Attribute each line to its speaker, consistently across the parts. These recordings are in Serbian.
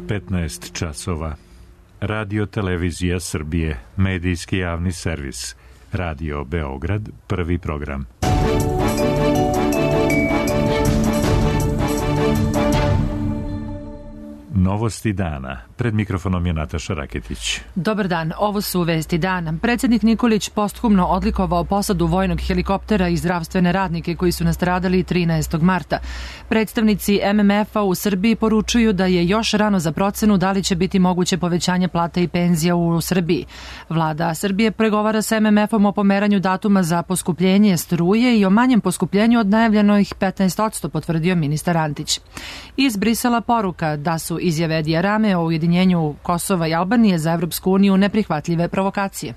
Speaker 1: 15 časova. Radio Televizija Srbije, medijski javni servis. Radio Beograd, prvi program. Novosti dana. Pred mikrofonom je Nataša Raketić.
Speaker 2: Dobar dan, ovo su vesti dana. Predsjednik Nikolić posthumno odlikovao posadu vojnog helikoptera i zdravstvene radnike koji su nastradali 13. marta. Predstavnici MMF-a u Srbiji poručuju da je još rano za procenu da li će biti moguće povećanje plata i penzija u Srbiji. Vlada Srbije pregovara sa MMF-om o pomeranju datuma za poskupljenje struje i o manjem poskupljenju od najavljenih 15%, potvrdio ministar Antić. Iz Brisela poruka da su izjave Edija Rame o ujedinjenju Kosova i Albanije za Evropsku uniju neprihvatljive provokacije.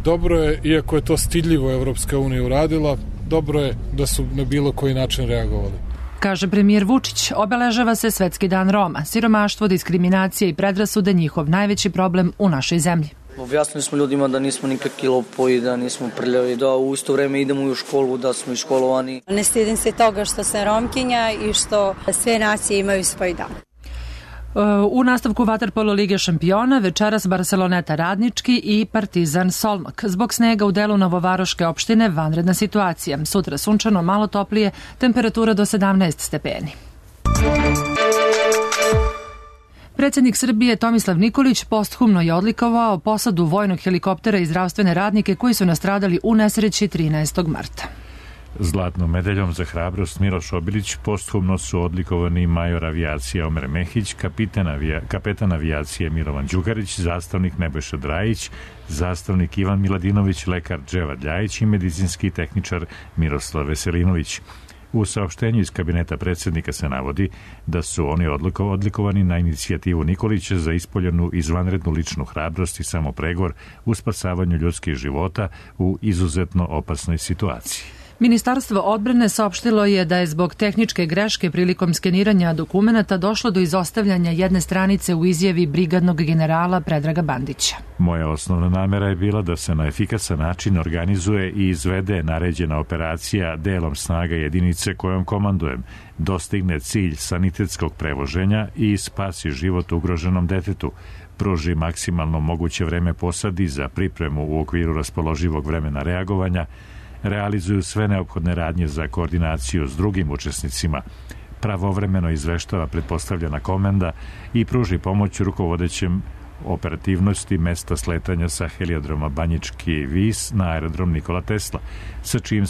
Speaker 3: Dobro je, iako je to stidljivo Evropska unija uradila, dobro je da su na bilo koji način reagovali.
Speaker 2: Kaže premijer Vučić, obeležava se Svetski dan Roma. Siromaštvo, diskriminacija i predrasude njihov najveći problem u našoj zemlji.
Speaker 4: Objasnili smo ljudima da nismo nikakvi lopovi, da nismo prljavi, da u isto vreme idemo u školu, da smo iškolovani.
Speaker 5: Ne stidim se toga što sam Romkinja i što sve nacije imaju svoj dan.
Speaker 2: U nastavku vaterpolo Lige šampiona večeras Barceloneta Radnički i Partizan Solmak. Zbog snega u delu Novovaroške opštine vanredna situacija. Sutra sunčano, malo toplije, temperatura do 17 stepeni. Predsjednik Srbije Tomislav Nikolić posthumno je odlikovao posadu vojnog helikoptera i zdravstvene radnike koji su nastradali u nesreći 13. marta.
Speaker 1: Zlatnom medaljom za hrabrost Miloš Obilić posthumno su odlikovani major avijacije Omer Mehić, kapetan avijacije Milovan Đugarić, zastavnik Nebojša Drajić, zastavnik Ivan Miladinović, lekar Dževad Ljajić i medicinski tehničar Miroslav Veselinović. U saopštenju iz kabineta predsjednika se navodi da su oni odlikovani na inicijativu Nikolića za ispoljenu izvanrednu ličnu hrabrost i samopregor u spasavanju ljudskih života u izuzetno opasnoj situaciji.
Speaker 2: Ministarstvo odbrane saopštilo je da je zbog tehničke greške prilikom skeniranja dokumenata došlo do izostavljanja jedne stranice u izjavi brigadnog generala Predraga Bandića.
Speaker 1: Moja osnovna namera je bila da se na efikasan način organizuje i izvede naređena operacija delom snaga jedinice kojom komandujem, dostigne cilj sanitetskog prevoženja i spasi život ugroženom detetu, pruži maksimalno moguće vreme posadi za pripremu u okviru raspoloživog vremena reagovanja, realizuju sve neophodne radnje za koordinaciju s drugim učesnicima, pravovremeno izveštava pretpostavljena komenda i pruži pomoć rukovodećem operativnosti mesta sletanja sa heliodroma Banjički Vis na aerodrom Nikola Tesla, sa čim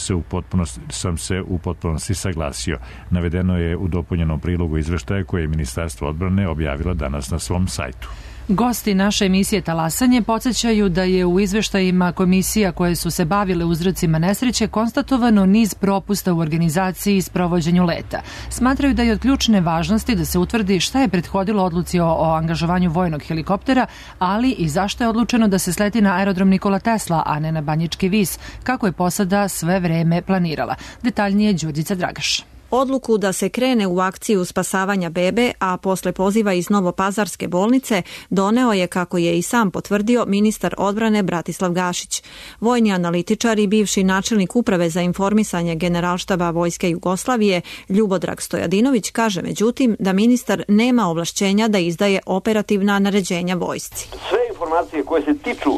Speaker 1: sam se u potpunosti saglasio. Navedeno je u dopunjenom prilogu izveštaja koje je Ministarstvo odbrane objavilo danas na svom sajtu.
Speaker 2: Gosti naše emisije Talasanje podsjećaju da je u izveštajima komisija koje su se bavile uzrocima nesreće konstatovano niz propusta u organizaciji i sprovođenju leta. Smatraju da je od ključne važnosti da se utvrdi šta je prethodilo odluci o angažovanju vojnog helikoptera, ali i zašto je odlučeno da se sleti na aerodrom Nikola Tesla, a ne na Banjički Vis, kako je posada sve vreme planirala. Detaljnije Đurđica Dragaš.
Speaker 6: Odluku da se krene u akciju spasavanja bebe, a posle poziva iz Novopazarske bolnice, doneo je, kako je i sam potvrdio, ministar odbrane Bratislav Gašić. Vojni analitičar i bivši načelnik uprave za informisanje Generalštaba Vojske Jugoslavije Ljubodrag Stojadinović kaže međutim da ministar nema ovlašćenja da izdaje operativna naređenja vojsci.
Speaker 7: Sve informacije koje se tiču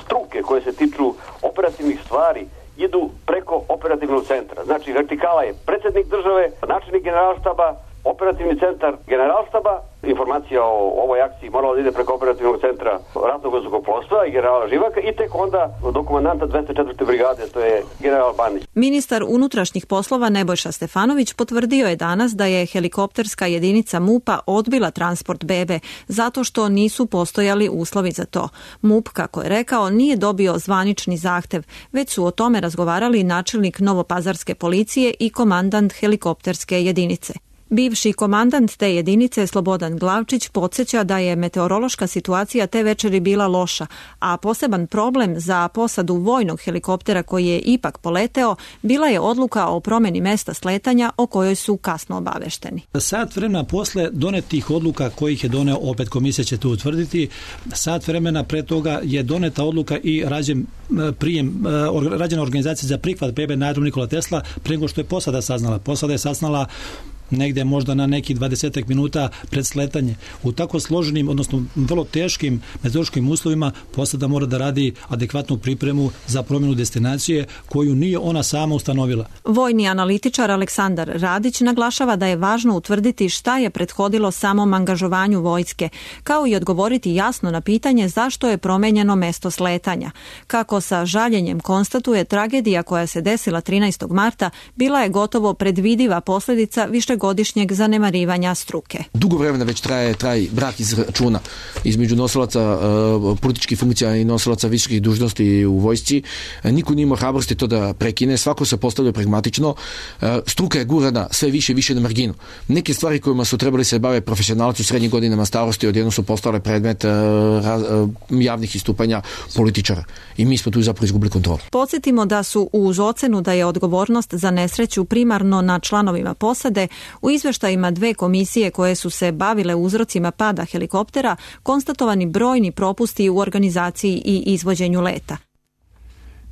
Speaker 7: struke, koje se tiču operativnih stvari, idu preko operativnog centra. Znači, vertikala je predsjednik države, načelnik generalštaba, operativni centar generalštaba. Informacija o ovoj akciji morala da ide preko operativnog centra ratnog vazduhoplovstva i generala Živaka i tek onda do komandanta 204. brigade, to je general Bandić.
Speaker 6: Ministar unutrašnjih poslova Nebojša Stefanović potvrdio je danas da je helikopterska jedinica MUP-a odbila transport bebe zato što nisu postojali uslovi za to. MUP, kako je rekao, nije dobio zvanični zahtev, već su o tome razgovarali načelnik Novopazarske policije i komandant helikopterske jedinice. Bivši komandant te jedinice Slobodan Glavčić podsjeća da je meteorološka situacija te večeri bila loša, a poseban problem za posadu vojnog helikoptera koji je ipak poleteo bila je odluka o promjeni mesta sletanja o kojoj su kasno obavešteni.
Speaker 8: Sat vremena posle donetih odluka kojih je doneo, opet komisija će to utvrditi, sat vremena pre toga je doneta odluka i rađena organizacija za prihvat bebe na aerodrom Nikola Tesla pre nego što je posada saznala. Posada je saznala negde možda na neki 20 minuta pred sletanje. U tako složenim, odnosno vrlo teškim meteorološkim uslovima posada mora da radi adekvatnu pripremu za promjenu destinacije koju nije ona sama ustanovila.
Speaker 6: Vojni analitičar Aleksandar Radić naglašava da je važno utvrditi šta je prethodilo samom angažovanju vojske, kao i odgovoriti jasno na pitanje zašto je promenjeno mesto sletanja. Kako sa žaljenjem konstatuje, tragedija koja se desila 13. marta bila je gotovo predvidiva posljedica višegodišnjeg zanemarivanja struke.
Speaker 9: Dugo vremena već traje brak iz računa između nosilaca političkih funkcija i nosilaca visokih dužnosti u vojsci. Niko nije imao hrabrosti to da prekine, svako se postavlja pragmatično. Struka je gurana sve više i više na marginu. Neke stvari kojima su trebali se bave profesionalci u srednjim godinama starosti odjednom su postale predmet javnih istupanja političara. I mi smo tu zapravo izgubili kontrolu.
Speaker 6: Podsjetimo da su uz ocenu da je odgovornost za nesreću primarno na članovima posade, u izveštajima dve komisije koje su se bavile uzrocima pada helikoptera konstatovani brojni propusti u organizaciji i izvođenju leta.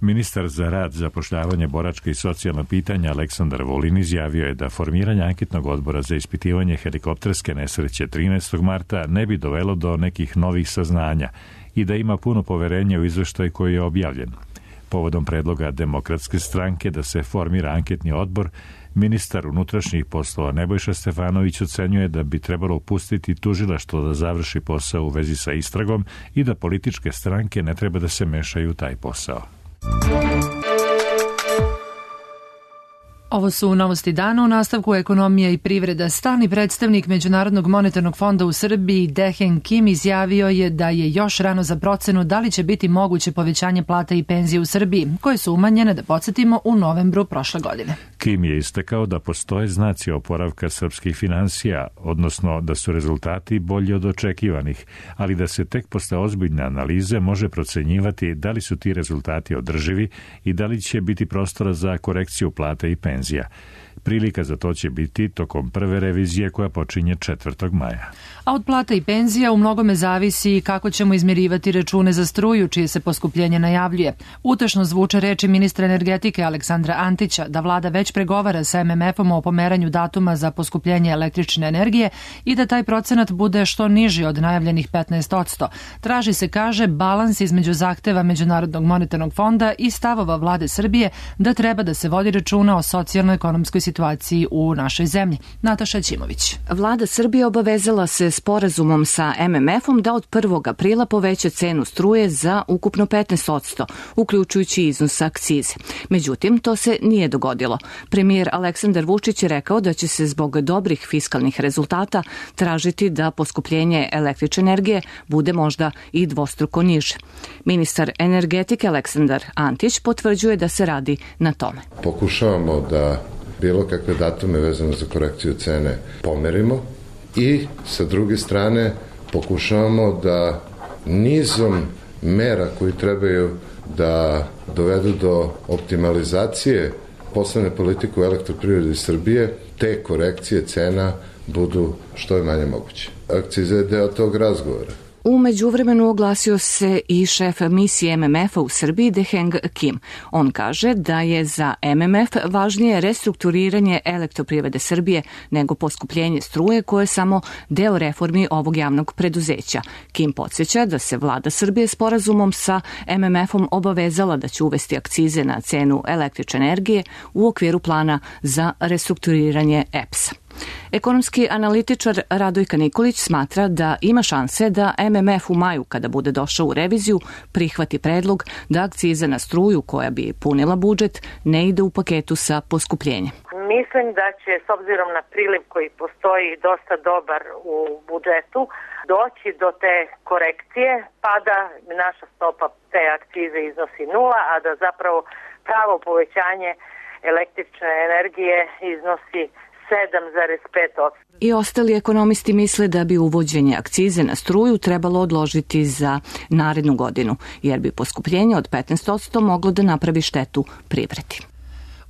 Speaker 1: Ministar za rad, zapošljavanje, boračka i socijalna pitanja Aleksandar Vulin izjavio je da formiranje anketnog odbora za ispitivanje helikopterske nesreće 13. marta ne bi dovelo do nekih novih saznanja i da ima puno poverenja u izveštaj koji je objavljen. Povodom predloga Demokratske stranke da se formira anketni odbor, ministar unutrašnjih poslova Nebojša Stefanović ocenjuje da bi trebalo pustiti tužilaštvo da završi posao u vezi sa istragom i da političke stranke ne treba da se mešaju u taj posao.
Speaker 2: Ovo su novosti dana. U nastavku ekonomija i privreda. Stalni predstavnik Međunarodnog monetarnog fonda u Srbiji Dehen Kim izjavio je da je još rano za procenu da li će biti moguće povećanje plata i penzije u Srbiji, koje su umanjene, da podsjetimo, u novembru prošle godine.
Speaker 1: Kim je istakao da postoje znaci oporavka srpskih finansija, odnosno da su rezultati bolji od očekivanih, ali da se tek posle ozbiljne analize može procenjivati da li su ti rezultati održivi i da li će biti prostora za korekciju plata i penzija. Prilika za to će biti tokom prve revizije koja počinje 4. maja.
Speaker 2: A od plata i penzija u mnogome zavisi kako ćemo izmirivati račune za struju, čije se poskupljenje najavljuje. Utešno zvuče reči ministra energetike Aleksandra Antića da vlada već pregovara sa MMF-om o pomeranju datuma za poskupljenje električne energije i da taj procenat bude što niži od najavljenih 15%. Traži se, kaže, balans između zahteva Međunarodnog monetarnog fonda i stavova vlade Srbije da treba da se vodi računa o socijalno-ekonomskoj situaciji u našoj zemlji. Nataša Ćimović.
Speaker 10: Vlada Srbije obavezala se sporazumom sa MMF-om da od 1. aprila poveća cenu struje za ukupno 15%, uključujući iznos akcize. Međutim, to se nije dogodilo. Premijer Aleksandar Vučić je rekao da će se zbog dobrih fiskalnih rezultata tražiti da poskupljenje električne energije bude možda i dvostruko niže. Ministar energetike Aleksandar Antić potvrđuje da se radi na tome.
Speaker 11: Pokušavamo da bilo kakve datume vezano za korekciju cene pomerimo i sa druge strane pokušavamo da nizom mera koji trebaju da dovedu do optimalizacije poslovne politike u Elektroprivredi Srbije, te korekcije cena budu što je manje moguće. Akciza je deo tog razgovora.
Speaker 10: U međuvremenu oglasio se i šef misije MMF-a u Srbiji Deheng Kim. On kaže da je za MMF važnije restrukturiranje Elektroprivrede Srbije nego poskupljenje struje, koje je samo deo reformi ovog javnog preduzeća. Kim podsjeća da se vlada Srbije sporazumom sa MMF-om obavezala da će uvesti akcize na cenu električne energije u okviru plana za restrukturiranje EPS-a. Ekonomski analitičar Radojka Nikolić smatra da ima šanse da MMF u maju, kada bude došao u reviziju, prihvati predlog da akciza na struju, koja bi punila budžet, ne ide u paketu sa poskupljenjem.
Speaker 12: Mislim da će, s obzirom na priliv koji postoji dosta dobar u budžetu, doći do te korekcije, pa da naša stopa te akcize iznosi 0, a da zapravo pravo povećanje električne energije iznosi 7,5%.
Speaker 10: I ostali ekonomisti misle da bi uvođenje akcize na struju trebalo odložiti za narednu godinu, jer bi poskupljenje od 15% moglo da napravi štetu privredi.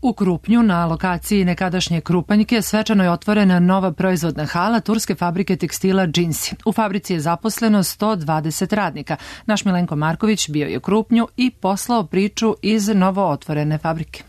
Speaker 2: U Krupnju, na lokaciji nekadašnje Krupanjke, svečano je otvorena nova proizvodna hala turske fabrike tekstila Džinsi. U fabrici je zaposleno 120 radnika. Naš Milenko Marković bio je u Krupnju i poslao priču iz novo otvorene fabrike.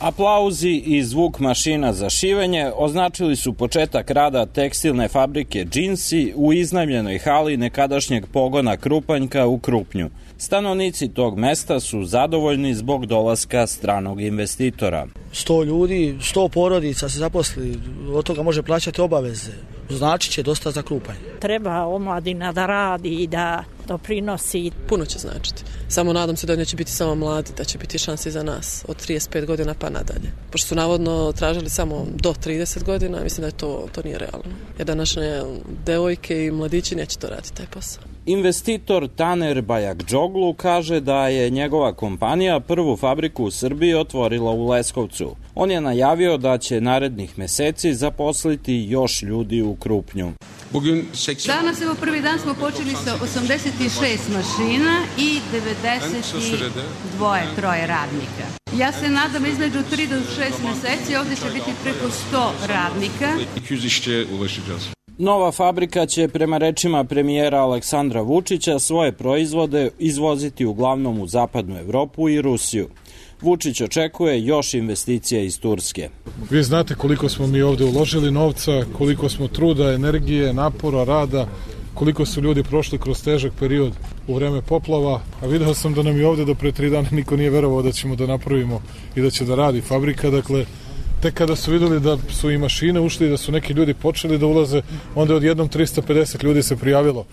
Speaker 13: Aplauzi i zvuk mašina za šivenje označili su početak rada tekstilne fabrike Džinsi u iznajmljenoj hali nekadašnjeg pogona Krupanjka u Krupnju. Stanovnici tog mesta su zadovoljni zbog dolaska stranog investitora.
Speaker 14: 100 ljudi, 100 porodica se zaposli, od toga može plaćati obaveze. Znači će dosta za Krupanj.
Speaker 15: Treba omladina da radi i da doprinosi.
Speaker 16: Puno će značiti. Samo nadam se da neće biti samo mladi, da će biti šanse za nas od 35 godina pa nadalje. Pošto su navodno tražili samo do 30 godina, mislim da to nije realno. Jer današnje devojke i mladići neće to raditi taj posao.
Speaker 13: Investitor Taner Bajakdžoglu kaže da je njegova kompanija prvu fabriku u Srbiji otvorila u Leskovcu. On je najavio da će narednih meseci zaposliti još ljudi u Krupnju.
Speaker 17: Danas, evo, prvi dan smo počeli sa 86 mašina i 92-3 radnika. Ja se nadam između 3 do 6 meseci ovdje će biti preko 100 radnika.
Speaker 13: Nova fabrika će, prema rečima premijera Aleksandra Vučića, svoje proizvode izvoziti uglavnom u zapadnu Evropu i Rusiju. Vučić očekuje još investicija iz Turske.
Speaker 3: Vi znate koliko smo mi ovde uložili novca, koliko smo truda, energije, napora, rada, koliko su ljudi prošli kroz težak period u vreme poplava, a video sam da nam i ovde do pre 3 dana niko nije verovao da ćemo da napravimo i da će da radi fabrika, dakle tek kada su videli da su i mašine ušli, da su neki ljudi počeli da ulaze, onda je odjednom 350 ljudi se prijavilo.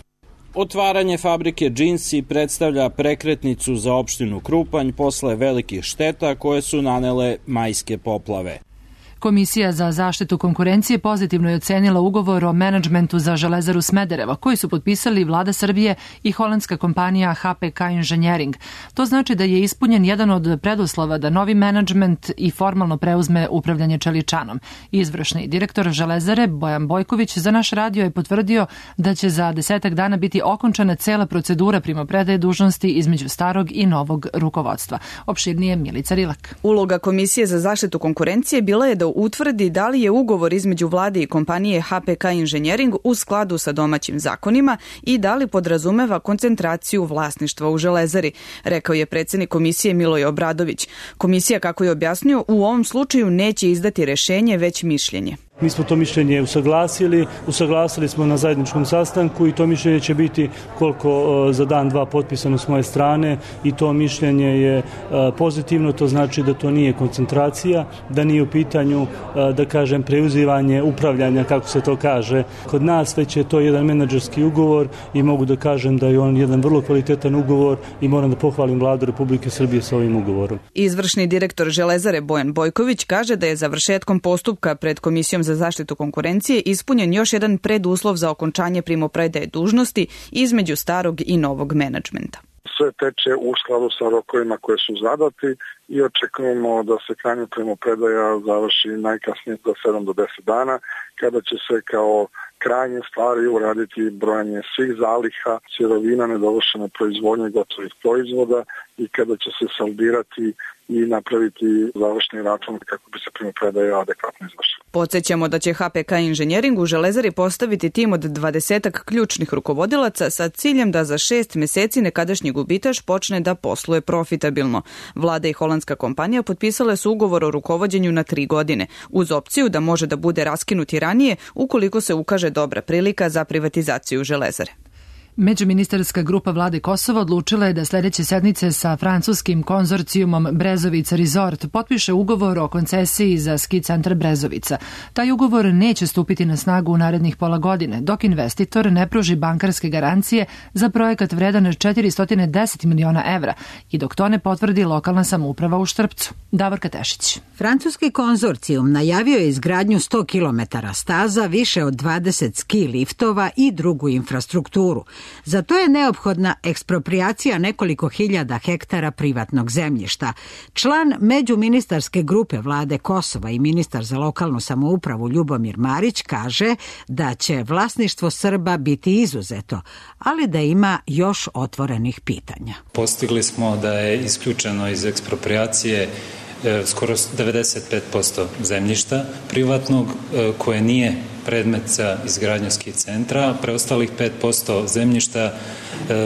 Speaker 13: Otvaranje fabrike Džinsi predstavlja prekretnicu za opštinu Krupanj posle velikih šteta koje su nanele majske poplave.
Speaker 2: Komisija za zaštitu konkurencije pozitivno je ocenila ugovor o menadžmentu za Železaru Smederevo, koji su potpisali Vlada Srbije i holandska kompanija HPK Engineering. To znači da je ispunjen jedan od preduslova da novi menadžment i formalno preuzme upravljanje Čeličanom. Izvršni direktor Železare Bojan Bojković za naš radio je potvrdio da će za 10 dana biti okončana cela procedura primopredaje dužnosti između starog i novog rukovodstva. Opširnije Milica Rilak.
Speaker 18: Uloga Komisije za zaštitu konkurencije bila je da utvrdi da li je ugovor između vlade i kompanije HPK Engineering u skladu sa domaćim zakonima i da li podrazumeva koncentraciju vlasništva u Železari, rekao je predsjednik komisije Miloj Obradović. Komisija, kako je objasnio, u ovom slučaju neće izdati rešenje, već mišljenje.
Speaker 19: Mi smo to mišljenje usaglasili smo na zajedničkom sastanku i to mišljenje će biti koliko za dan, dva potpisano s moje strane i to mišljenje je pozitivno, to znači da to nije koncentracija, da nije u pitanju, da kažem, preuzivanje upravljanja, kako se to kaže kod nas, već je to jedan menadžerski ugovor i mogu da kažem da je on jedan vrlo kvalitetan ugovor i moram da pohvalim Vladu Republike Srbije sa ovim ugovorom.
Speaker 18: Izvršni direktor Železare Bojan Bojković kaže da je završetkom postupka pred Komisijom za zaštitu konkurencije ispunjen još jedan preduslov za okončanje primopredaje dužnosti između starog i novog menadžmenta.
Speaker 20: Sve teče u skladu sa rokovima koje su zadati i očekujemo da se krajnja primopredaja završi najkasnije za 7 do 10 dana, kada će se kao krajnje stvari uraditi brojanje svih zaliha, sirovina, nedovršene proizvodnje gotovih proizvoda i kada će se saldirati i napraviti završni račun kako bi se primopredaja adekvatno izvršila.
Speaker 18: Podsjećamo da će HPK Engineering u Železari postaviti tim od 20 ključnih rukovodilaca sa ciljem da za 6 meseci nekadašnji gubitaš počne da posluje profitabilno. Vlada i holandska kompanija potpisale su ugovor o rukovođenju na 3 godine, uz opciju da može da bude raskinut i ranije ukoliko se ukaže dobra prilika za privatizaciju Železare.
Speaker 2: Međuministarska grupa vlade Kosova odlučila je da sledeće sednice sa francuskim konzorcijumom Brezovica Resort potpiše ugovor o koncesiji za ski centar Brezovica. Taj ugovor neće stupiti na snagu u narednih pola godine, dok investitor ne pruži bankarske garancije za projekat vredan 410 miliona evra i dok to ne potvrdi lokalna samouprava u Štrpcu. Davorka Tešić.
Speaker 21: Francuski konzorcijum najavio je izgradnju 100 km staza, više od 20 ski liftova i drugu infrastrukturu. Za to je neophodna eksproprijacija nekoliko hiljada hektara privatnog zemljišta. Član međuministarske grupe vlade Kosova i ministar za lokalnu samoupravu Ljubomir Marić kaže da će vlasništvo Srba biti izuzeto, ali da ima još otvorenih pitanja.
Speaker 22: Postigli smo da je isključeno iz eksproprijacije
Speaker 4: skoro 95% zemljišta privatnog koje nije predmet za izgradnju ski centra. Preostalih 5% zemljišta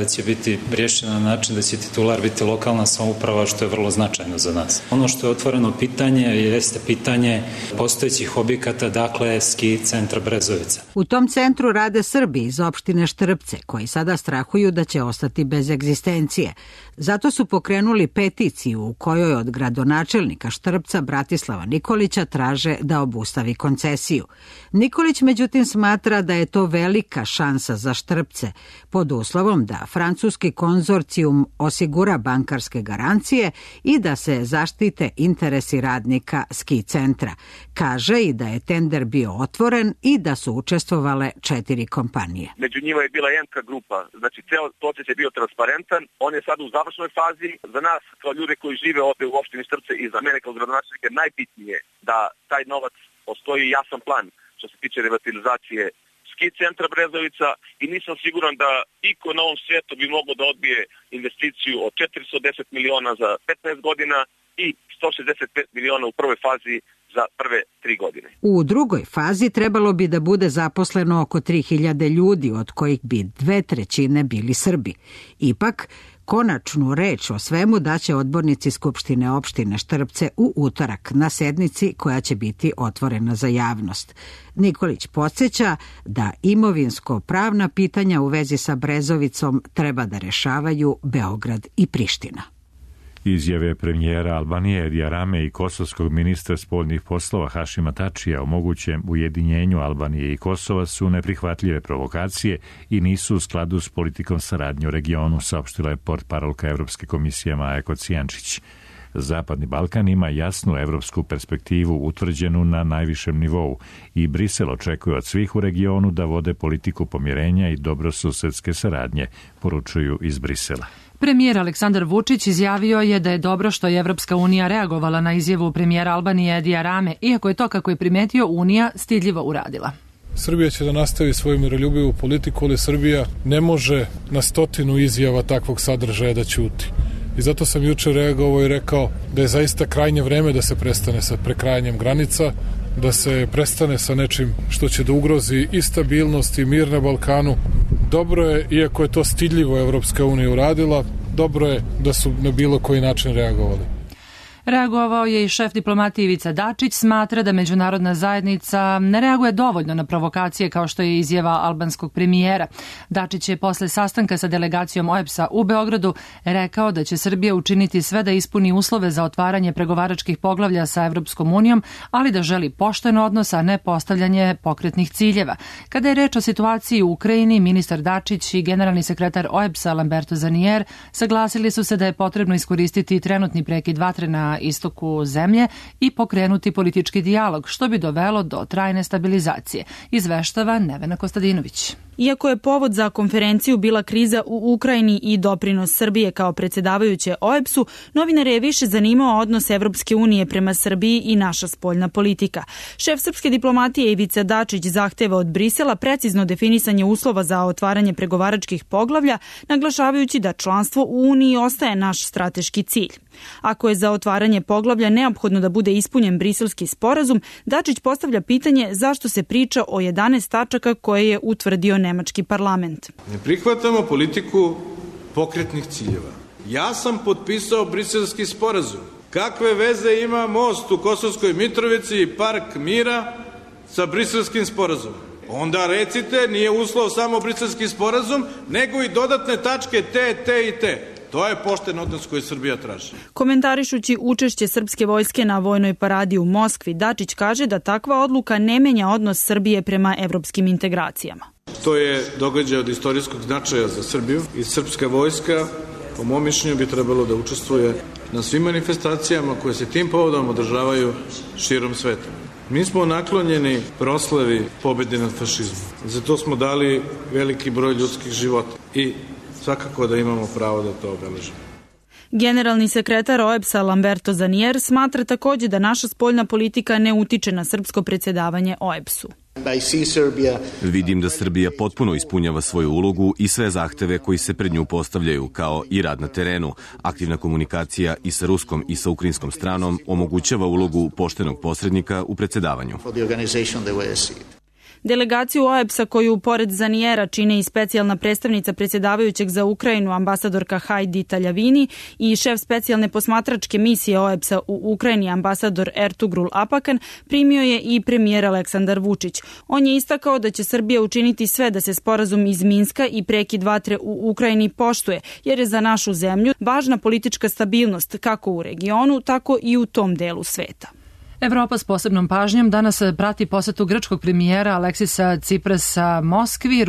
Speaker 4: će biti rješeno na način da će titular biti lokalna samouprava, što je vrlo značajno za nas. Ono što je otvoreno pitanje jeste pitanje postojećih objekata, dakle ski centra Brezovica.
Speaker 21: U tom centru rade Srbi iz opštine Štrpce, koji sada strahuju da će ostati bez egzistencije. Zato su pokrenuli peticiju u kojoj od gradonačelnika Štrpca Bratislava Nikolića traže da obustavi koncesiju. Nikolić međutim smatra da je to velika šansa za Štrpce, pod uslovom da francuski konzorcijum osigura bankarske garancije i da se zaštite interesi radnika ski centra. Kaže i da je tender bio otvoren i da su učestvovale 4 kompanije.
Speaker 22: Među njima je bila Jenka grupa, znači ceo proces je bio transparentan, on je sad u završnoj fazi. Za nas kao ljude koji žive ovde u opštini Štrpce i za mene kao gradonačelnika najbitnije da taj novac postoji jasan plan što se tiče revitalizacije ski centra Brezovica i nisam siguran da iko na ovom svijetu bi mogao da odbije investiciju od 410 miliona za 15 godina i 165 miliona u prvoj fazi za prve 3 godine.
Speaker 21: U drugoj fazi trebalo bi da bude zaposleno oko 3000 ljudi, od kojih bi 2/3 bili Srbi. Ipak, konačnu reč o svemu daće odbornici Skupštine opštine Štrpce u utorak na sednici koja će biti otvorena za javnost. Nikolić podsjeća da imovinsko-pravna pitanja u vezi sa Brezovicom treba da rešavaju Beograd i Priština.
Speaker 1: Izjave premijera Albanije Edija Rame i kosovskog ministra spoljnih poslova Hašima Tačija o mogućem ujedinjenju Albanije i Kosova su neprihvatljive provokacije i nisu u skladu s politikom saradnje u regionu, saopštila je portparolka Evropske komisije Maja Kocijančić. Zapadni Balkan ima jasnu evropsku perspektivu utvrđenu na najvišem nivou i Brisel očekuje od svih u regionu da vode politiku pomirenja i dobrosusedske saradnje, poručuju iz Brisela.
Speaker 2: Premijer Aleksandar Vučić izjavio je da je dobro što je Evropska unija reagovala na izjavu premijera Albanije Edija Rame, iako je to, kako je primetio, Unija stidljivo uradila.
Speaker 3: Srbija će da nastavi svoju miroljubivu politiku, ali Srbija ne može na 100 izjava takvog sadržaja da ćuti. I zato sam juče reagovao i rekao da je zaista krajnje vreme da se prestane sa prekrajanjem granica, da se prestane sa nečim što će da ugrozi i stabilnost i mir na Balkanu. Dobro je, iako je to stidljivo Evropska unija uradila, dobro je da su na bilo koji način reagovali.
Speaker 2: Reagovao je i šef diplomatije Ivica Dačić, smatra da međunarodna zajednica ne reaguje dovoljno na provokacije kao što je izjava albanskog premijera. Dačić je posle sastanka sa delegacijom OEBS-a u Beogradu rekao da će Srbija učiniti sve da ispuni uslove za otvaranje pregovaračkih poglavlja sa Evropskom unijom, ali da želi pošten odnos, a ne postavljanje pokretnih ciljeva. Kada je reč o situaciji u Ukrajini, ministar Dačić i generalni sekretar OEBS-a Lamberto Zanier saglasili su se da je potrebno iskoristiti trenutni prekid vatre na istoku zemlje i pokrenuti politički dijalog, što bi dovelo do trajne stabilizacije, izveštava Nevena Kostadinović.
Speaker 23: Iako je povod za konferenciju bila kriza u Ukrajini i doprinos Srbije kao predsjedavajuće OEBS-u, novinare je više zanimao odnos Evropske unije prema Srbiji i naša spoljna politika. Šef srpske diplomatije Ivica Dačić zahteva od Brisela precizno definisanje uslova za otvaranje pregovaračkih poglavlja, naglašavajući da članstvo u Uniji ostaje naš strateški cilj. Ako je za otvaranje poglavlja neophodno da bude ispunjen briselski sporazum, Dačić postavlja pitanje zašto se priča o 11 tačaka koje je utvrdio nemački parlament.
Speaker 24: Ne prihvatamo politiku pokretnih ciljeva. Ja sam potpisao briselski sporazum. Kakve veze ima most u Kosovskoj Mitrovici i Park mira sa briselskim sporazumom? Onda recite, nije uslov samo briselski sporazum, nego i dodatne tačke te i te. To je pošten odnos koji Srbija traži.
Speaker 23: Komentarišući učešće srpske vojske na vojnoj paradi u Moskvi, Dačić kaže da takva odluka ne menja odnos Srbije prema evropskim integracijama.
Speaker 24: To je događaj od istorijskog značaja za Srbiju i srpska vojska, po mom mišljenju, bi trebalo da učestvuje na svim manifestacijama koje se tim povodom održavaju širom sveta. Mi smo naklonjeni proslavi pobjede nad fašizmom. Zato smo dali veliki broj ljudskih života i svakako da imamo pravo da to obeležimo.
Speaker 23: Generalni sekretar OEBS-a Lamberto Zanier smatra takođe da naša spoljna politika ne utiče na srpsko predsjedavanje OEBS-u.
Speaker 5: Vidim da Srbija potpuno ispunjava svoju ulogu i sve zahteve koji se pred nju postavljaju, kao i rad na terenu. Aktivna komunikacija i sa ruskom i sa ukrajinskom stranom omogućava ulogu poštenog posrednika u predsedavanju.
Speaker 23: Delegaciju OEBS-a koju pored Zanijera čine i specijalna predstavnica predsjedavajućeg za Ukrajinu ambasadorka Hajdi Taljavini i šef specijalne posmatračke misije OEBS-a u Ukrajini ambasador Ertugrul Apakan primio je i premijer Aleksandar Vučić. On je istakao da će Srbija učiniti sve da se sporazum iz Minska i prekid vatre u Ukrajini poštuje, jer je za našu zemlju važna politička stabilnost kako u regionu, tako i u tom delu sveta.
Speaker 2: Evropa s posebnom pažnjom danas prati posetu grčkog premijera Aleksisa Ciprasa Moskvi.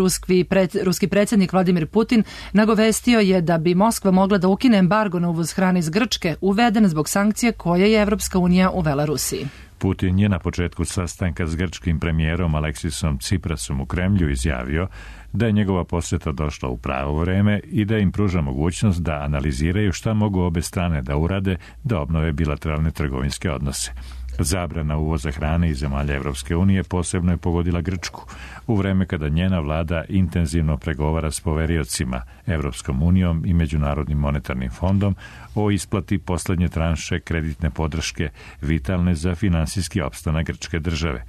Speaker 2: Ruski predsjednik Vladimir Putin nagovestio je da bi Moskva mogla da ukine embargo na uvoz hrane iz Grčke, uveden zbog sankcija koje je Evropska unija uvela Rusiji.
Speaker 1: Putin je na početku sastanka s grčkim premijerom Aleksisom Ciprasom u Kremlju izjavio da je njegova posjeta došla u pravo vreme i da im pruža mogućnost da analiziraju šta mogu obe strane da urade da obnove bilateralne trgovinske odnose. Zabrana uvoza hrane iz zemalja Evropske unije posebno je pogodila Grčku, u vreme kada njena vlada intenzivno pregovara s poveriocima Evropskom unijom i Međunarodnim monetarnim fondom o isplati poslednje tranše kreditne podrške vitalne za finansijski opstanak grčke države.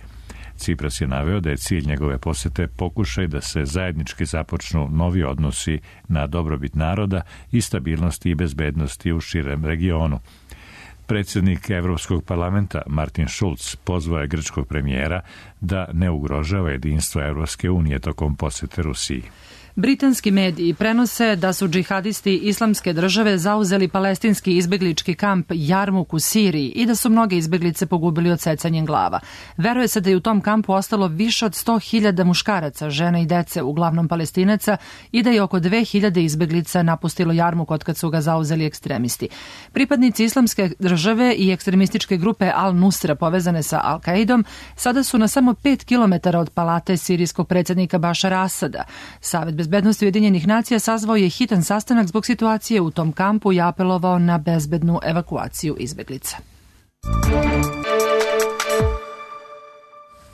Speaker 1: Cipras je naveo da je cilj njegove posete pokušaj da se zajednički započnu novi odnosi na dobrobit naroda i stabilnosti i bezbednosti u širem regionu. Predsjednik Evropskog parlamenta Martin Schulz pozvao je grčkog premijera da ne ugrožava jedinstvo Evropske unije tokom posete Rusiji.
Speaker 2: Britanski mediji prenose da su džihadisti Islamske države zauzeli palestinski izbeglički kamp Jarmuk u Siriji i da su mnoge izbeglice pogubili odsecanjem glava. Veruje se da je u tom kampu ostalo više od 100.000 muškaraca, žena i dece, uglavnom Palestinaca, i da je oko 2.000 izbeglica napustilo Jarmuk otkad su ga zauzeli ekstremisti. Pripadnici Islamske države i ekstremističke grupe Al-Nusra povezane sa Al-Qaidom sada su na samo 5 km od palate sirijskog predsjednika Bašara Asada. Savet bezbednosti Ujedinjenih nacija sazvao je hitan sastanak zbog situacije u tom kampu i apelovao na bezbednu evakuaciju izbeglica.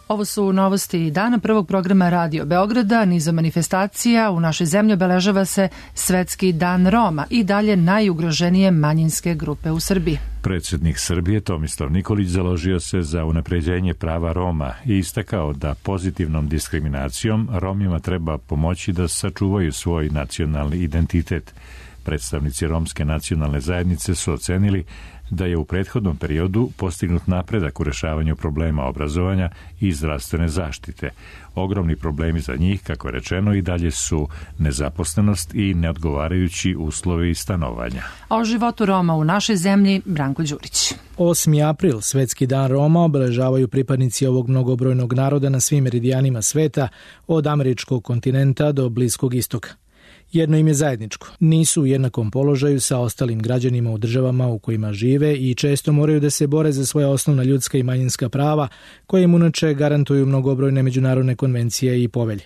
Speaker 2: Ovo su novosti dana prvog programa Radio Beograda. Nizom manifestacija u našoj zemlji obeležava se Svetski dan Roma i dalje najugroženije manjinske grupe u Srbiji.
Speaker 1: Predsjednik Srbije Tomislav Nikolić založio se za unapređenje prava Roma i istakao da pozitivnom diskriminacijom Romima treba pomoći da sačuvaju svoj nacionalni identitet. Predstavnici romske nacionalne zajednice su ocenili da je u prethodnom periodu postignut napredak u rešavanju problema obrazovanja i zdravstvene zaštite. Ogromni problemi za njih, kako je rečeno, i dalje su nezaposlenost i neodgovarajući uslovi stanovanja.
Speaker 2: A o životu Roma u našoj zemlji Branko Đurić.
Speaker 7: 8. april, Svetski dan Roma, obeležavaju pripadnici ovog mnogobrojnog naroda na svim meridijanima sveta, od američkog kontinenta do Bliskog istoka. Jedno im je zajedničko. Nisu u jednakom položaju sa ostalim građanima u državama u kojima žive i često moraju da se bore za svoja osnovna ljudska i manjinska prava, koje im inače garantuju mnogobrojne međunarodne konvencije i povelje.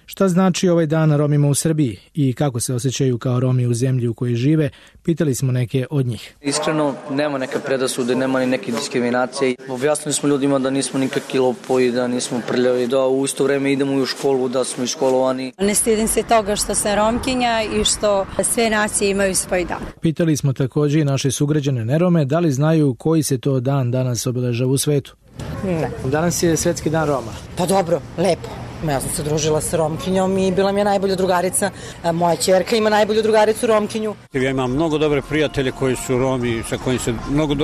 Speaker 7: Šta znači ovaj dan Romima u Srbiji i kako se osjećaju kao Romi u zemlji u kojoj žive, pitali smo neke od njih.
Speaker 8: Iskreno, nema neke predasude, nema ni neke diskriminacije. Objasnili smo ljudima da nismo nikakvi lopovi, da nismo prljavi, da u isto vreme idemo u školu, da smo iškolovani.
Speaker 9: Ne stidim se toga što sam Romkinja i što sve nacije imaju svoj dan.
Speaker 7: Pitali smo također i naše sugrađane nerome da li znaju koji se to dan danas obeležava u svetu.
Speaker 9: Ne.
Speaker 7: Danas je Svetski dan Roma.
Speaker 9: Pa dobro, lepo. Ja sam se družila sa Romkinjom i bila mi je najbolja drugarica. Moja ćerka ima najbolju drugaricu Romkinju.
Speaker 25: Ja imam mnogo dobre prijatelje koji su Romi, sa kojim se mnogo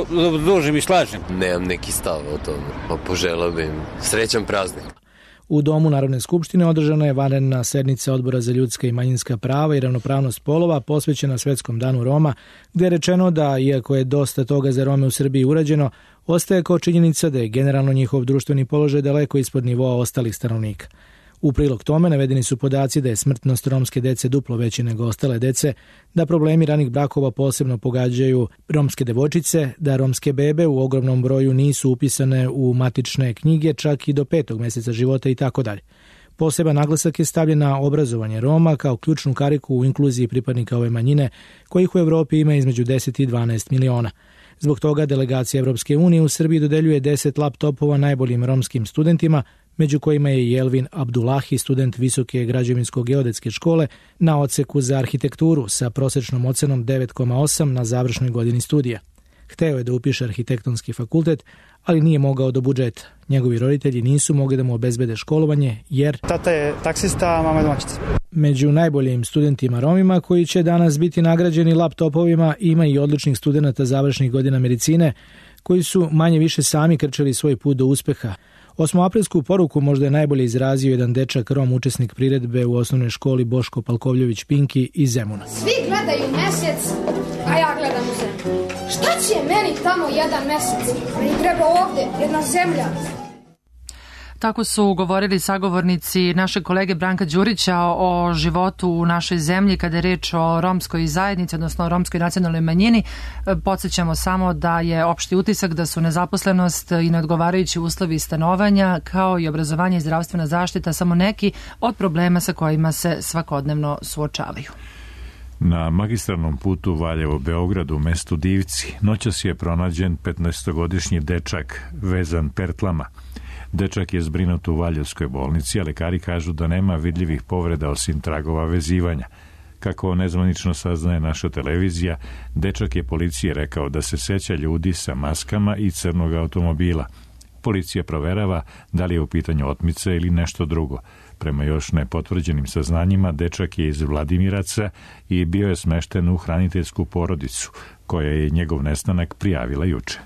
Speaker 25: družim i slažem.
Speaker 26: Nemam neki stav o tome, poželao bih im srećan praznik.
Speaker 7: U Domu Narodne skupštine održana je vanredna sednica Odbora za ljudska i manjinska prava i ravnopravnost polova posvećena Svetskom danu Roma, gde je rečeno da, iako je dosta toga za Rome u Srbiji urađeno, ostaje kao činjenica da je generalno njihov društveni položaj daleko ispod nivoa ostalih stanovnika. U prilog tome navedeni su podaci da je smrtnost romske dece duplo veći nego ostale dece, da problemi ranih brakova posebno pogađaju romske devojčice, da romske bebe u ogromnom broju nisu upisane u matične knjige čak i do 5. meseca života i tako dalje. Poseban naglasak je stavljen na obrazovanje Roma kao ključnu kariku u inkluziji pripadnika ove manjine, kojih u Evropi ima između 10 i 12 miliona. Zbog toga delegacija Evropske unije u Srbiji dodeljuje 10 laptopova najboljim romskim studentima, među kojima je i Elvin Abdullahi, student Visoke građevinsko-geodetske škole na odseku za arhitekturu sa prosečnom ocenom 9,8 na završnoj godini studija. Hteo je da upiše arhitektonski fakultet, ali nije mogao do budžeta. Njegovi roditelji nisu mogli da mu obezbede školovanje, jer
Speaker 6: tata je taksista, a mama je domaćica.
Speaker 7: Među najboljim studentima Romima, koji će danas biti nagrađeni laptopovima, ima i odličnih studenta završnih godina medicine, koji su manje više sami krčili svoj put do uspeha. 8-aprilsku poruku možda je najbolje izrazio jedan dečak Rom, učesnik priredbe u osnovnoj školi Boško Palkovljević Pinki iz Zemuna.
Speaker 10: Svi gledaju mesec, a ja gledam u zemlju. Šta će meni tamo jedan mesec? Meni treba ovde jedna zemlja.
Speaker 2: Tako su govorili sagovornici našeg kolege Branka Đurića o životu u našoj zemlji kada je reč o romskoj zajednici, odnosno o romskoj nacionalnoj manjini. Podsjećamo samo da je opšti utisak da su nezaposlenost i neodgovarajući uslovi stanovanja kao i obrazovanje i zdravstvena zaštita samo neki od problema sa kojima se svakodnevno suočavaju.
Speaker 1: Na magistralnom putu Valjevo-Beograd u mestu Divci noćas je pronađen 15-godišnji dečak vezan pertlama. Dečak je zbrinut u Valjevskoj bolnici, a lekari kažu da nema vidljivih povreda osim tragova vezivanja. Kako nezvanično saznaje naša televizija, dečak je policiji rekao da se seća ljudi sa maskama i crnog automobila. Policija proverava da li je u pitanju otmica ili nešto drugo. Prema još nepotvrđenim saznanjima, dečak je iz Vladimiraca i bio je smešten u hraniteljsku porodicu, koja je njegov nestanak prijavila juče.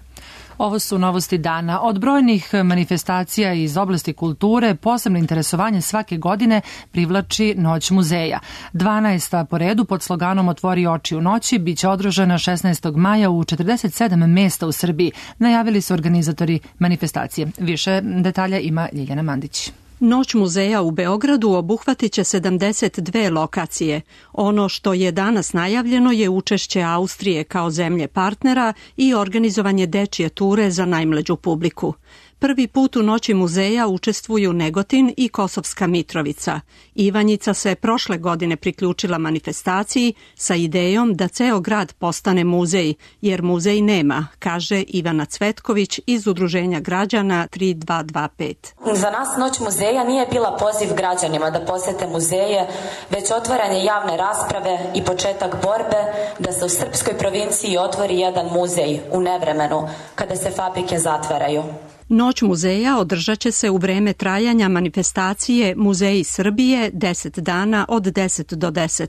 Speaker 2: Ovo su novosti dana. Od brojnih manifestacija iz oblasti kulture posebno interesovanje svake godine privlači Noć muzeja. 12. po redu pod sloganom Otvori oči u noći biće održana 16. maja u 47 mesta u Srbiji, najavili su organizatori manifestacije. Više detalja ima Ljiljana Mandić.
Speaker 11: Noć muzeja u Beogradu obuhvatit će 72 lokacije. Ono što je danas najavljeno je učešće Austrije kao zemlje partnera i organizovanje dečije ture za najmlađu publiku. Prvi put u Noći muzeja učestvuju Negotin i Kosovska Mitrovica. Ivanjica se prošle godine priključila manifestaciji sa idejom da ceo grad postane muzej, jer muzej nema, kaže Ivana Cvetković iz Udruženja građana 3225.
Speaker 12: Za nas Noć muzeja nije bila poziv građanima da posete muzeje, već otvaranje javne rasprave i početak borbe da se u srpskoj provinciji otvori jedan muzej u nevremenu, kada se fabrike zatvaraju.
Speaker 11: Noć muzeja održat će se u vreme trajanja manifestacije Muzeji Srbije 10 dana od 10 do 10.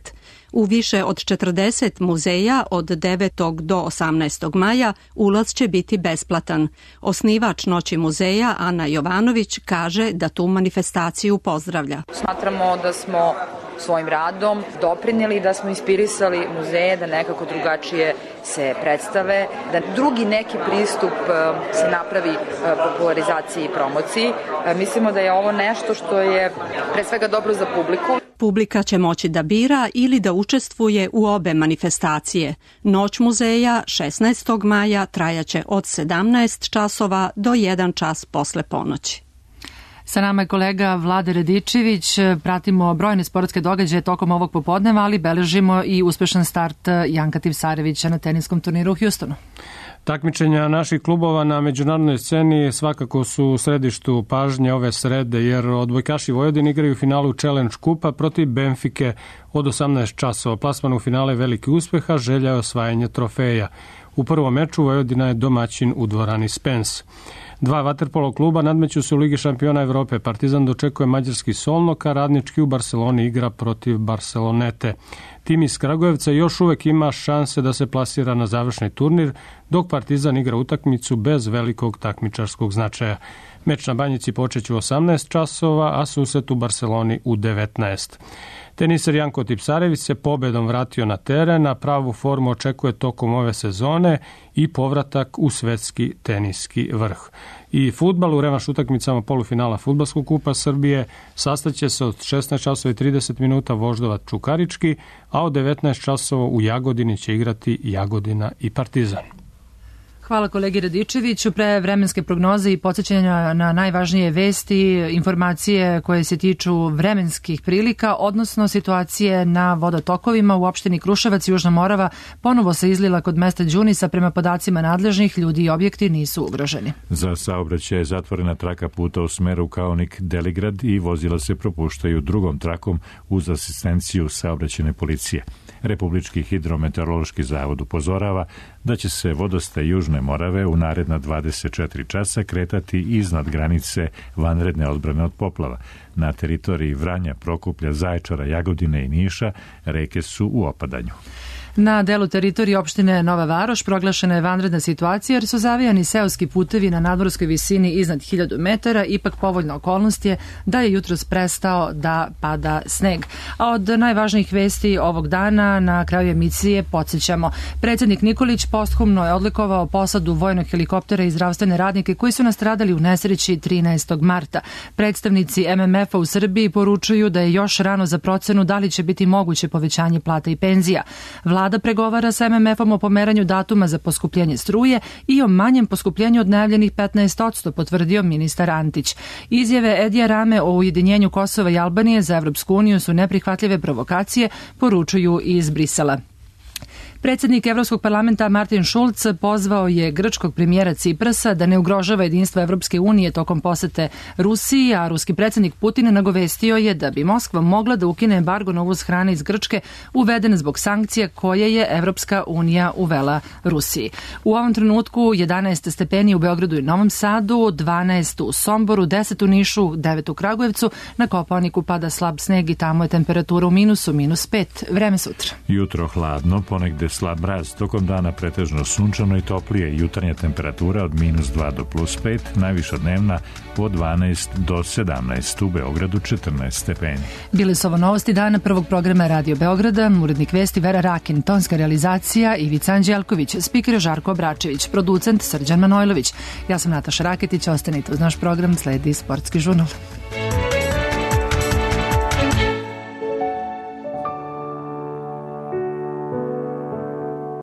Speaker 11: U više od 40 muzeja od 9. do 18. maja ulaz će biti besplatan. Osnivač Noći muzeja Ana Jovanović kaže da tu manifestaciju pozdravlja.
Speaker 14: Smatramo da smo svojim radom doprinijeli, da smo inspirisali muzeje da nekako drugačije se predstave, da drugi neki pristup se napravi popularizaciji i promociji. Mislimo da je ovo nešto što je pre svega dobro za publiku.
Speaker 11: Publika će moći da bira ili da učestvuje u obe manifestacije. Noć muzeja 16. maja trajaće od 17 časova do 1 čas posle ponoći.
Speaker 2: Sa nama je kolega Vlade Radičević. Pratimo brojne sportske događaje tokom ovog popodneva, ali beležimo i uspešan start Janka Tipsarevića na teniskom turniru u Houstonu.
Speaker 15: Takmičenja naših klubova na međunarodnoj sceni svakako su u središtu pažnje ove srede, jer odbojkaši Vojvodine igraju u finalu Challenge kupa protiv Benfike od 18 časova. Plasman u finale veliki uspeha, želja je osvajanje trofeja. U prvom meču Vojvodina je domaćin u dvorani Spence. Dva vaterpolo kluba nadmeću se u Ligi šampiona Evrope. Partizan dočekuje mađarski Solnok, a Radnički u Barceloni igra protiv Barcelonete. Tim iz Kragujevca još uvek ima šanse da se plasira na završni turnir, dok Partizan igra utakmicu bez velikog takmičarskog značaja. Meč na Banjici počeće u 18 časova, a susret u Barceloni u 19. Teniser Janko Tipsarević se pobedom vratio na teren, a pravu formu očekuje tokom ove sezone i povratak u svetski teniski vrh. I fudbal u revanš utakmicama polufinala Fudbalskog kupa Srbije sastaće se od 16 časova i 30 minuta Voždovac Čukarički, a od 19 časova u Jagodini će igrati Jagodina i Partizan.
Speaker 2: Hvala kolegi Radičeviću. Pre vremenske prognoze i podsjećanja na najvažnije vesti, informacije koje se tiču vremenskih prilika, odnosno situacije na vodotokovima u opštini Kruševac i Južna Morava ponovo se izlila kod mesta Đunisa. Prema podacima nadležnih, ljudi i objekti nisu ugroženi.
Speaker 1: Za saobraćaj je zatvorena traka puta u smeru Kaonik-Deligrad i vozila se propuštaju drugom trakom uz asistenciju saobraćajne policije. Republički hidrometeorološki zavod upozorava da će se vodostaj Južne Morave u naredna 24 časa kretati iznad granice vanredne odbrane od poplava. Na teritoriji Vranja, Prokuplja, Zaječara, Jagodine i Niša reke su u opadanju.
Speaker 2: Na delu teritorije opštine Nova Varoš proglašena je vanredna situacija jer su zavijani seoski putevi na nadmorskoj visini iznad 1000 metara. Ipak povoljna okolnost je da je jutros prestao da pada sneg. A od najvažnijih vesti ovog dana na kraju emisije podsjećamo. Predsjednik Nikolić posthumno je odlikovao posadu vojnog helikoptera i zdravstvene radnike koji su nastradali u nesreći 13. marta. Predstavnici MMF-a u Srbiji poručuju da je još rano za procenu da li će biti moguće povećanje plata i penzija. Vlada pregovara sa MMF-om o pomeranju datuma za poskupljenje struje i o manjem poskupljenju od najavljenih 15%, potvrdio ministar Antić. Izjave Edija Rame o ujedinjenju Kosova i Albanije za Evropsku uniju su neprihvatljive provokacije, poručuju iz Brisela. Predsjednik Evropskog parlamenta Martin Schulz pozvao je grčkog premijera Ciprasa da ne ugrožava jedinstvo Evropske unije tokom posete Rusiji, a ruski predsjednik Putin nagovestio je da bi Moskva mogla da ukine embargo na uvoz hrane iz Grčke uveden zbog sankcija koje je Evropska unija uvela Rusiji. U ovom trenutku 11 stepeni u Beogradu i Novom Sadu, 12 u Somboru, 10 u Nišu, 9 u Kragujevcu, na Kopaoniku pada slab sneg i tamo je temperatura u minusu, -5. Vreme sutra.
Speaker 1: Jutro hladno, ponegde slab mraz, tokom dana pretežno sunčano i toplije, jutarnja temperatura od -2 do +5, najviša dnevna od 12 do 17, u Beogradu 14 stepeni.
Speaker 2: Bili su ovo novosti dana prvog programa Radio Beograda, urednik vesti Vera Rakin, tonska realizacija Ivica Anđelković, spiker Žarko Obračević, producent Srđan Manojlović. Ja sam Nataša Raketić, ostanite uz naš program, sledi Sportski žurnal.